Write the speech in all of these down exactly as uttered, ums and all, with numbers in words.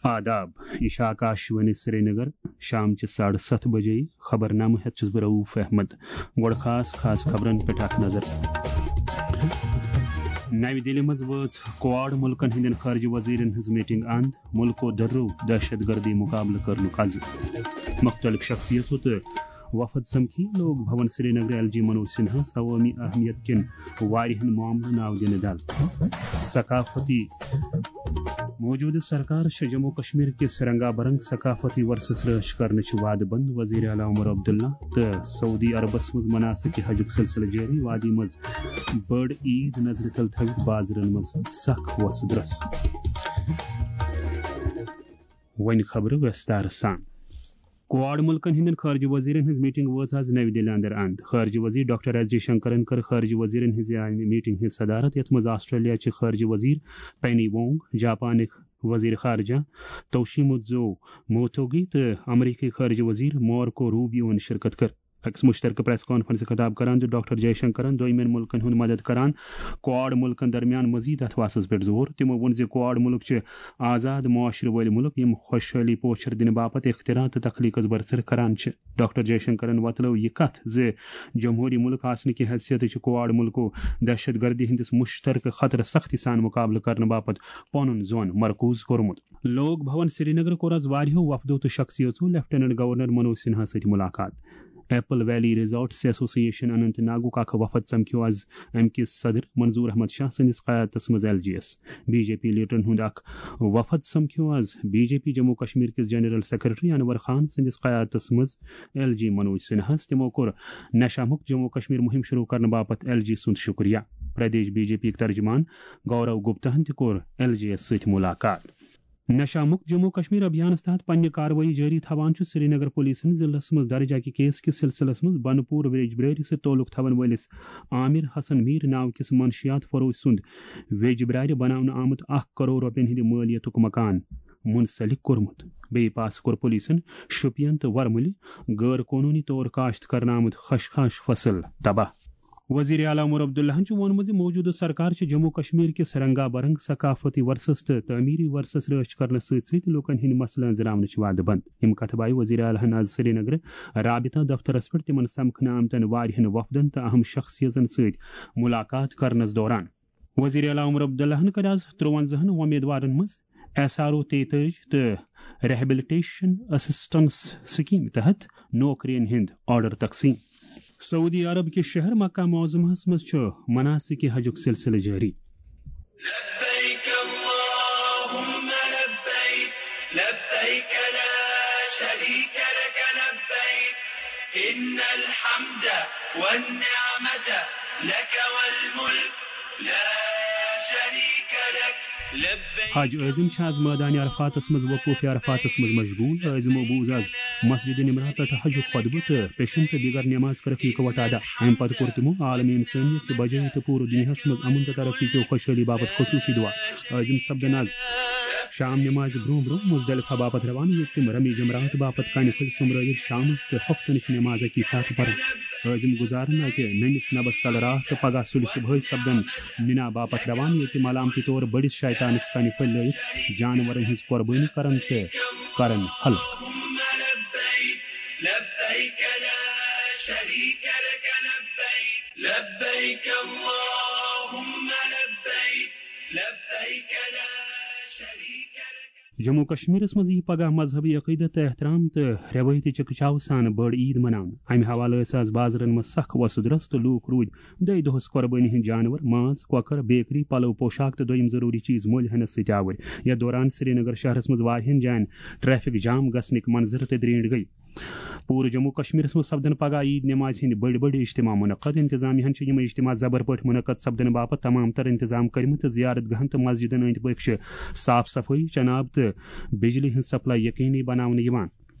آداب، یہِ چھِ آکاشوانی سرینگر۔ شام چہِ ساڑٕ ستھ بجے خبرنامہٕ ہٮ۪تھ چھُس بہٕ رؤف احمد۔ گۄڈٕ خاص خاص خبرن پٮ۪ٹھ اکھ نظر۔ نَوِ دِلہِ منٛز وٲژ کواڈ مُلکن ہٕنٛدٮ۪ن خارجہ وزیرن ہٕنٛز میٹنگ اند، مُلکو دۄدرو دہشت گردی مقابلہٕ کرنُک عزم۔ مُختٔلِف شخصیژو تہٕ وفد سمکھی لوک بھون سرینگر ایل جی منوج سنہاہس عوٲمی اہمیت کٮ۪ن واریاہن معاملن آو دِنہٕ دل۔ ثقافتی موجودٕ سرکار چھِ جموں کشمیر کِس رنگا برنگ ثقافتی ورثس رٲچھ کرنٕچ وعدٕ بنٛد۔ وزیر اعلیٰ عمر عبداللہ تہٕ سعودی عربس منٛز مناسک حجُک سلسلہٕ جٲری۔ وادی منٛز بٔڑ عید نظرِ تل تھٲوِتھ بازرن منٛز سخ وۄسہٕ درۄس۔ وۄنۍ خبرٕ ویستار سان۔ کواڈ مُلکن ہٕنٛدٮ۪ن خارجہ وزیرن ہٕنٛز میٹنگ وٲژ آز نَوِ دِلہِ اندر اند۔ خارجہ وزیر ڈاکٹر ایس جے شنکرن کٔر خارجہ وزیرن ہٕنٛزِ اَمہِ میٹنگ ہٕنٛز صدارت، یتھ منٛز آسٹریلیا چہِ خارجہ وزیر پینی وونگ، جاپانٕکۍ وزیر خارجہ توشیموتزو موتوگی تہٕ امریکی خارجہ وزیر مارکو روبیوَن شرکت کٔر۔ أکِس مُشترکہٕ پریس کانفرنسہِ خطاب کران دیُت ڈاکٹر جے شنکرن دوٚیمٮ۪ن مُلکن ہُنٛد مدد کران کواڈ مُلکن درمیان مزید اتھواسس پٮ۪ٹھ زور۔ تِمو ووٚن زِ کواڈ مُلک چھِ آزاد معاشرٕ وٲلۍ مُلک، یِم خۄشحٲلی پوچھر دِنہٕ باپتھ اختراع تہٕ تخلیقس برسر کران چھِ۔ ڈاکٹر جے شنکرن وۄتلٲو یہِ کتھ زِ جمہوری مُلک آسنہٕ کہِ حیثیتہٕ چھِ کواڈ مُلکو دہشت گردی ہٕنٛدِس مُشترکہٕ خطرس سختی سان مُقابلہٕ کرنہٕ باپتھ پنُن زون مرکوز کوٚرمُت۔ لوک بھون سرینگر کوٚر آز واریاہو وفدو تہٕ شخصیژو لیفٹیننٹ گورنر منوج سنہا سۭتۍ مُلاقات۔ ایپل ویلی ریزارٹس ایسوسی ایشن اننت ناگُک اکھ وفد سمکھیو آز امہِ کِس صدر منظور احمد شاہ سٕنٛدِس قیادتس منٛز ایل جی یس۔ بی جے پی لیڈرن ہُنٛد اکھ وفد سمکھیو آز B J P Jammu Kashmir کِس جنرل سیکرٹری انور خان سٕنٛدِس قیادتس منٛز ایل جی منوج سنہاہس۔ تِمو کوٚر نشہ مکت جموں کشمیر مُہِم شروع کرنہٕ باپتھ ایل جی سُنٛد شُکریہ۔ پردیش بی جے پی یِکۍ ترجمان گورو گپتاہن تہِ کوٚر ایل جی یس سۭتۍ مُلاقات۔ نشہ مکت جموں کشمیر ابھیانس تحت پننہِ کاروٲیی جٲری تھاوان چھُ سرینگر پولیسن ضلعس منٛز درج اکہِ کیس کِس سلسلس منٛز بنپور ویج بریری سۭتۍ تعلق تھاون وٲلِس عامر حسن میر ناو کِس منشیات فروش سُنٛد ویج برارِ بناونہٕ آمُت اکھ کرور رۄپین ہٕنٛدِ مٲلیتُک مکان منسلک کوٚرمُت۔ بیٚیہِ پاس کوٚر پولیسن شوپین تہٕ ورمُلہِ غٲر قونوٗنی طور کاشت کرنہٕ آمُت خشخاش فصل تباہ۔ وزیر اعلیٰ عمر عبداللہن چھُ ووٚنمُت زِ موجودٕ سرکار چھِ جموں کشمیر کِس رنگا برنگ ثقافتی ورثس تہٕ تعمیری ورثس رٲچھ کرنس سۭتۍ سۭتۍ لوٗکن ہٕنٛدۍ مسلہٕ أنٛزراونٕچ وعدٕ بنٛد۔ یِم کتھٕ بایہِ وزیر اعلیٰ ہن آز سرینگرٕ رابطہ دفترس پٮ۪ٹھ تِمن سمکھنہٕ آمتٮ۪ن واریاہن وفدن تہٕ اہم شخصیژن سۭتۍ مُلاقات کرنس دوران۔ وزیر اعلیٰ عمر عبداللہن کٔر آز ترٛوَنزاہن وۄمیدوارن منٛز ایس آر او تیتٲجی تہٕ ریہبلٹیشن اسسٹنس سکیمہِ تحت نوکرین ہٕنٛدۍ آرڈر تقسیٖم۔ سعودی عرب کِس شہر مکہ معظمہس منٛز چھُ مناسک حجُک سلسلہٕ جٲری۔ لبيك اللهم لبيك، لبيك لا شريك لك لبيك، إن الحمد والنعمة لك والملك، لا شريك لك. لبيك. حج عٲزم چھِ آز مٲدانِ عرفاتس منٛز وقوف عرفاتس منٛز مشغول۔ عٲزمو بوٗز آز مسجد نمرہ پٮ۪ٹھ حجُک خطبہٕ تہٕ پیشن تہٕ دیگر نماز کٔرٕکھ یکوٹہٕ ادا۔ امہِ پتہٕ کوٚر تِمو عالم انسانیت چہِ بجٲے تہٕ پوٗرٕ دُنیاہس منٛز امن تہٕ ترقی کیو خۄشحٲلی باپتھ خصوصی دعا۔ عٲزم سپدن آز شام نمازِ برونٛہہ برونٛہہ مزدلفہ باپتھ روانہٕ، ییٚتہِ تِم رمی جمرات باپتھ کنہِ پھٔلۍ سوٚمبرٲوِتھ شامٕچ تہٕ ہۄپتہٕ نِش نماز اکہِ ساتہٕ پرن۔ عٲزم گُزارن اتہِ نٔنِس نبس تل راتھ تہٕ پگاہ سُلہِ صبحٲے سپدن مِنا باپتھ روانہٕ، ییٚتہِ ملامتی طور بٔڑِس شیطانس کنہِ پھٔلۍ لٲیِتھ جانورن ہٕنٛز قۄربٲنی کرن تہٕ کرن حلق۔ لبيك لا شريك لك لبيك، لبيك اللهم لبيك، لبيك لا شريك لك. جموں کشمیرس منٛز ییہِ پگاہ مذہبی عقیدت تہٕ احترام تہٕ رٮ۪وٲیتی چکچاو سان بٔڑ عید مناونہٕ۔ امہِ حوالہٕ ٲسۍ آز بازرن منٛز سخ وۄسہٕ درۄس تہٕ لوٗکھ روٗدۍ دۄیہِ دۄہس قۄربٲنی ہٕنٛدۍ جانور، ماز، کۄکر، بیکری، پلو، پوشاک تہٕ دوٚیِم ضروٗری چیٖز مٔلۍ ہٮ۪نس سۭتۍ آوٕرۍ۔ یتھ دوران سرینگر شہرس منٛز واریاہن جاین ٹریفک جام گژھنٕکۍ منظر تہِ درینڈ گٔیہِ۔ پوٗرٕ جموں کشمیرس منٛز سپدن پگاہ عید نمازِ ہٕنٛدۍ بٔڑۍ بٔڑۍ اجتماع منعقد۔ انتظامیہ ہن چھِ یِمے اجتماع زبر پٲٹھۍ منعقد سپدنہٕ باپتھ تمام تر انتظام کٔرمٕتۍ تہٕ زیارت گاہن تہٕ مسجدن أنٛدۍ پٔکۍ چھِ صاف صفٲیی، چناب تہٕ بجلی ہٕنٛز سپلاے یقینی بناونہٕ یِوان۔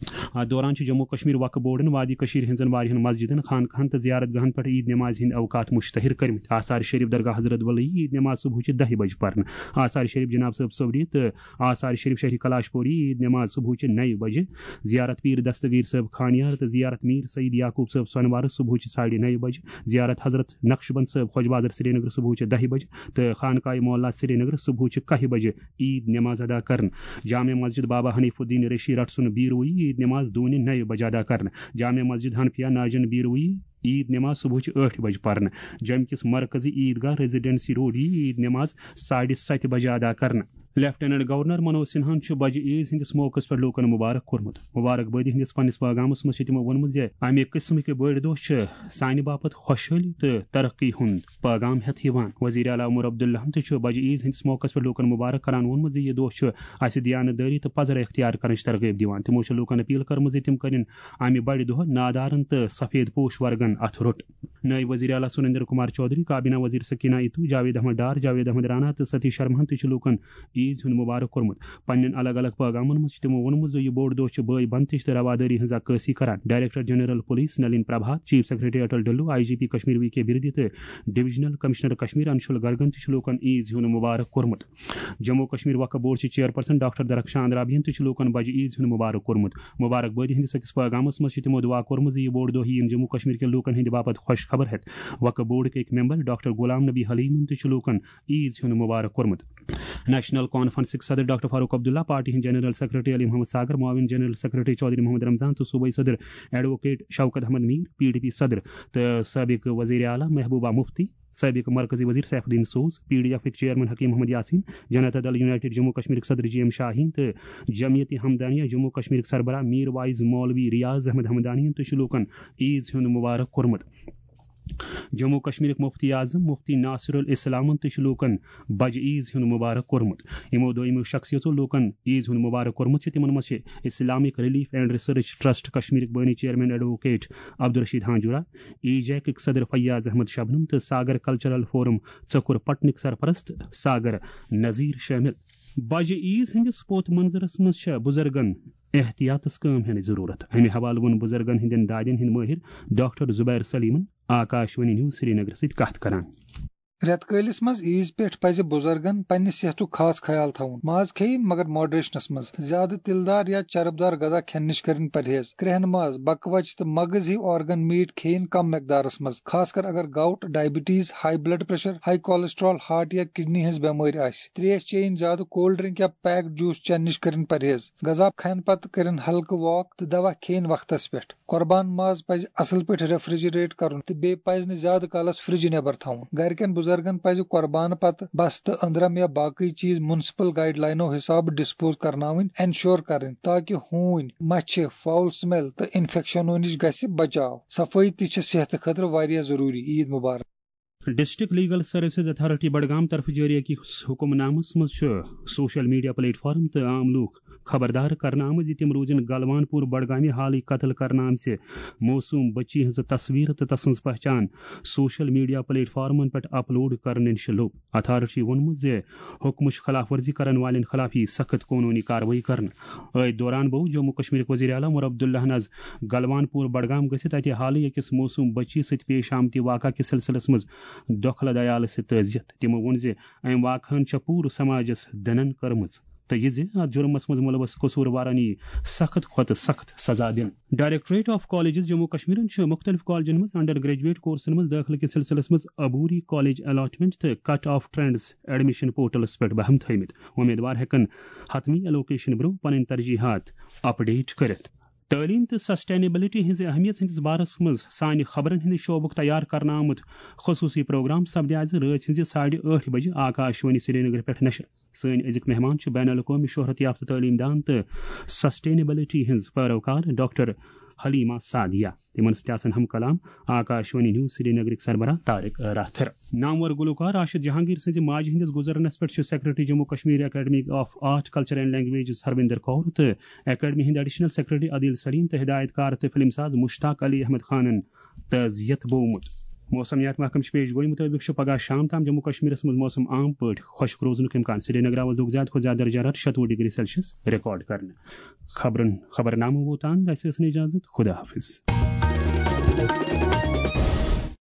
اتھ دوران چھُ جموں کشمیر وقف بورڈن وادی کشمیر ہٕنٛزن واریاہن مسجدن، خانقاہن تہٕ زیارت گاہن پٮ۪ٹھ عید نماز ہٕنٛدۍ اوقات مشتہر کٔرمٕتۍ۔ آثار شریف درگاہ حضرت بلٕے عید نماز صبحٕچہِ دَہہِ بجہِ پرنہٕ۔ آثار شریف جناب صٲب صوبری تہٕ آثار شریف شہری کلاش پوری عید نماز صبحٕچہِ نَیہِ بجہِ۔ زیارت پیر دستگیر صٲب خانیار تہٕ زیارت میر سعید یعقوب صٲب سۄنوارٕ صبحٕچہِ ساڑِ نَیہِ بجہِ۔ زیارت حضرت نقشبند صٲب خۄج بازر سرینگر صبحٕچہِ دَہہِ بجہِ تہٕ خانقاہ مولا سرینگر صبحٕچہِ کَہہِ بجہِ عید نماز ادا کرنہٕ۔ جامع مسجد بابا حنیف الدین ریشی رٹ سُنٛد بیروئی عید نماز دوٗنہِ نَیہِ بجہِ ادا کرنہٕ۔ جامع مسجد حنفیہ ناجن بیروئی عید نماز صبحٕچہِ ٲٹھِ بجہِ پرنہٕ۔ جوٚمہِ کِس مرکزی عید گاہ ریزیڈنسی روڈ یی عید نماز ساڑِ ستہِ بجہِ ادا کرنہٕ۔ لیفٹیننٹ گورنر منوج سنہاہن چھُ بجہِ عیز ہٕنٛدِس موقعس پٮ۪ٹھ لوٗکن مبارک کوٚرمُت۔ مبارک بٲدی ہٕنٛدِس پننِس پٲغامس منٛز چھِ تِمو ووٚنمُت زِ امہِ قٕسمٕکۍ بٔڑۍ دۄہ چھِ سانہِ باپتھ خۄشحٲلی تہٕ ترقی ہُنٛد پٲغام ہٮ۪تھ یِوان۔ وزیر اعلیٰ عمر عبداللہن تہِ چھُ بجہِ عیز ہٕنٛدِس موقعس پٮ۪ٹھ لوٗکن مبارک کران ووٚنمُت زِ یہِ دۄہ چھُ اسہِ دیانت دٲری تہٕ پزر اختیار کرنٕچ ترغیب دِوان۔ تِمو چھُ لوٗکن اپیل کٔرمٕژ زِ تِم کٔرِن امہِ بڑِ دۄہ نادارن تہٕ سفید پوش ورگن اتھٕ روٚٹ۔ نٲیِب وزیر اعلیٰ سُریندر کمار چودھری، کابینہ وزیر سکینہ اتو، جاوید احمد ڈار، جاوید احمد رانا تہٕ ستیش شرماہن تہِ چھُ لوٗکن عیز ہُنٛد مبارک کوٚرمُت۔ پننٮ۪ن الگ الگ پٲغامن منٛز چھِ تِمو ووٚنمُت زِ یہِ بوٚڑ دۄہ چھُ بٲے بندتٕچ تہٕ روادٲری ہٕنٛز عکٲسی کران۔ Director general police Nalin Prabhat, chief secretary Atal Dulloo, I G P Kashmir V K Birdi تہٕ ڈویژنل کمشنر کشمیر انشول گرگن تہِ چھُ لوٗکن عیز ہُنٛد مبارک کوٚرمُت۔ جموں کشمیر وقف بورڈ چہِ چیئرپرسن ڈاکٹر درخشان رابعین تہِ چھُ لوٗکن بجہِ عیز ہُنٛد مبارک کوٚرمُت۔ مبارک بٲدی ہٕنٛدِس أکِس پٲغامس منٛز چھِ تِمو دعا کوٚرمُت زِ یہِ بوٚڑ دۄہ یِیِن جموں کشمیر کٮ۪ن لوٗکن ہٕنٛدِ باپتھ خۄش خبر ہٮ۪تھ۔ وقف بورڈ کہِ أکۍ ممبر ڈاکٹر غلام نبی حلیمن تہِ چھُ لوٗکن عیز ہُنٛد مبارک کوٚرمُت۔ نیشنل کانفرنسٕکۍ صدر ڈاکٹر فاروق عبداللہ، پارٹی ہٕنٛدۍ جنرل سیکرٹری علی محمد ساگر، معاون جنرل سیکرٹری چودھری محمد رمضان تہٕ صوبٲئی صدر advocate Shaukat Ahmad Mir, P D P صدر تہٕ سابق وزیر اعلیٰ محبوبہ مفتی، سابق مرکزی وزیر سیف الدین سوز، P D ایفٕکۍ chairman Hakim Muhammad Yasin, Janata دل یونائیٹڈ جموں کشمیرٕکۍ صدر جی ایم شاہین تہٕ جمعیت ہمدانیہ جموں کشمیرٕکۍ سربراہ میر واعظ مولوی ریاض احمد ہمدانین تہِ چھُ لوٗکن عیز ہُنٛد مبارک کوٚرمُت۔ جموں کشمیرٕکۍ مفتی اعظم مفتی ناصر الاسلامن تہِ چھُ لوٗکن بجہِ عیز ہُنٛد مبارک کوٚرمُت۔ یِمو دوٚیمو شخصیژو لوٗکن عیز ہُنٛد مبارک کوٚرمُت چھُ، تِمن منٛز چھِ Islamic relief and research trust کشمیرٕکۍ بٲنی chairman advocate Abdul Rashid Hanjura, E جیکٕکۍ صدر فیاض احمد شبنم تہٕ ساگر کلچرل فورم ژکُر پٹنٕکۍ سرپرست ساگر نذیر شٲمِل۔ بجہِ عیز ہٕنٛدِس پوت منظرس منٛز چھےٚ بُزرگن احتیاطس کٲم ہینٕچ ضروٗرت۔ امہِ حوالہٕ ووٚن بُزرگن ہٕنٛدٮ۪ن دادٮ۪ن ہٕنٛدۍ مٲہِر ڈاکٹر زبیر سلیمن آکاش وانی نیوز سرینگر سۭتۍ کتھ کران۔ رٮ۪تہٕ کٲلِس منٛز عیٖذ پٮ۪ٹھ پَزِ بُزرگن پننہِ صحتُک خاص خیال تھاوُن۔ ماز کھیٚیِن، مگر ماڈریشنس منٛز۔ زیادٕ تِلہٕ دار یا چرب دار غذا کھٮ۪نہٕ نِش کٔرِن پرہیز۔ کرٛہن ماز، بکوچہِ تہٕ مغز ہیوۍ آرگن میٹ کھیٚیِن کم مقدارس منٛز، خاص کر اگر gout, diabetes, high blood pressure, high cholesterol, heart یا کڈنی ہٕنٛز بٮ۪مٲرۍ آسہِ۔ تریش چیٚیِن زیادٕ، کولڈ ڈرنک یا پیکڈ جوس چٮ۪نہٕ نِش کٔرِن پرہیز۔ غذا کھٮ۪نہٕ پتہٕ کٔرِن ہلکہٕ واک تہٕ دوا کھیٚیِن وقتس پٮ۪ٹھ۔ قۄربان ماز پزِ اصل پٲٹھۍ ریفریجریٹ کرُن تہٕ بیٚیہِ پزِ نہٕ زیادٕ کالس فرجہِ نٮ۪بر تھاوُن۔ گرِکٮ۪ن بُزرگن پزِ قۄربانہٕ پتہٕ بستہٕ، أنٛدرم یا باقٕے چیٖز میونسپل گائیڈ لائنو حسابہٕ ڈسپوز کرناوٕنۍ انشور کرٕنۍ، تاکہ ہوٗنۍ، مچھِ، فاؤل سمیل تہٕ انفیکشنو نِش گژھِ بچاو۔ صفٲیی تہِ چھِ صحتہٕ خٲطرٕ واریاہ ضروٗری۔ عید مبارک۔ District legal services authority Budgam طرفہٕ جٲری أکِس حکم نامس منٛز چھُ سوشل میڈیا پلیٹ فارم تہٕ عام لوٗکھ خبردار کرنہٕ آمٕتۍ زِ تِم روزن گلوان پور بڈگامہِ حالٕے قتل کرنہٕ آمژِ معصوم بچی ہٕنٛز تصویر تہٕ تسٕنٛز پہچان سوشل میڈیا پلیٹ فارمن پٮ۪ٹھ اپلوڈ کرنہٕ نِش لوٚب۔ اتھارٹی ووٚنمُت زِ حکمٕچ خلاف ورزی کرن والٮ۪ن خلاف یی سخت قونوٗنی کاروٲیی کرنہٕ۔ أتھۍ دوران بوو جموں کشمیرٕکۍ وزیر اعلیٰ عمر عبداللہن از گلوان پور بڈگام گٔژھِتھ اتہِ حالٕے أکِس معصوم بچی سۭتۍ پیش آمتہِ واقعہٕ کِس سلسلس منٛز دۄکھلہٕ دیالہٕ سۭتۍ تعزیت۔ تِمو ووٚن زِ امہِ واقعہن چھےٚ پوٗرٕ سماجس دٕنن کٔرمٕژ تہٕ یہِ زِ اتھ جُرمس منٛز مُلوث قصوٗروارن یی سخت کھۄتہٕ سخت سزا دِنہٕ۔ ڈائریکٹوریٹ آف کالجز جموں کشمیرن چھُ مُختٔلِف کالجن منٛز انڈر گریجویٹ کورسن منٛز دٲخلہٕ کِس سلسلس منٛز عبوری کالج الاٹمنٹ تہٕ کٹ آف ٹرینڈز ایڈمیشن پورٹلس پٮ۪ٹھ بہم تھٲومٕتۍ۔ امیدوار ہٮ۪کن حتمی ایلوکیشن برٛونٛہہ پنٕنۍ ترجیحات اپڈیٹ کٔرِتھ۔ تعلیٖم تہٕ سسٹینیبلٹی ہٕنٛزِ اہمیت ہٕنٛدِس بارس منٛز سانہِ خبرن ہٕنٛدِ شعبُک تیار کرنہٕ آمُت خصوٗصی پروگرام سپدِ آز رٲژ ہٕنٛزِ ساڑِ ٲٹھِ بجہِ آکاش وانی سرینگر پٮ۪ٹھ نشر۔ سٲنۍ أزِکۍ مہمان چھِ بین الاقوٲمی شہرت یافتہٕ تعلیٖم دان تہٕ سسٹینیبلٹی ہٕنٛز پیروکار ڈاکٹر حلیمہ سعدیہ۔ تِمن سۭتۍ آسن ہم کلام آکاش وانی نیوز سرینگرٕکۍ سربراہ طارق راتھر۔ نامور گلوکار راشد جہانگیر سٕنٛزِ ماجہِ ہٕنٛدِس گُزرنس پٮ۪ٹھ چھُ secretary Jammu Kashmir academy of art, culture and languages Harvinder کور تہٕ اکیڈمی ہٕنٛدۍ ایڈیشنل سیکرٹری عادل سلیم تہٕ ہدایت کار تہٕ فلم ساز مشتاق علی احمد خانن تعزیت بوومُت۔ موسمیات محکمہٕ چہِ پیش گویی مُطٲبِق چھُ پگاہ شام تام جموں کشمیرس منٛز موسم عام پٲٹھۍ خۄشک روزنُک امکان۔ سرینگرس دوٚگ زیادٕ کھۄتہٕ زیادٕ درجہ حرارت شَتوُہ ڈگری سیلسیس ریکارڈ کرنہٕ۔ خبرن خبرنامہٕ ووت تام، اسہِ ٲس نہٕ اجازت۔ خدا حافظ۔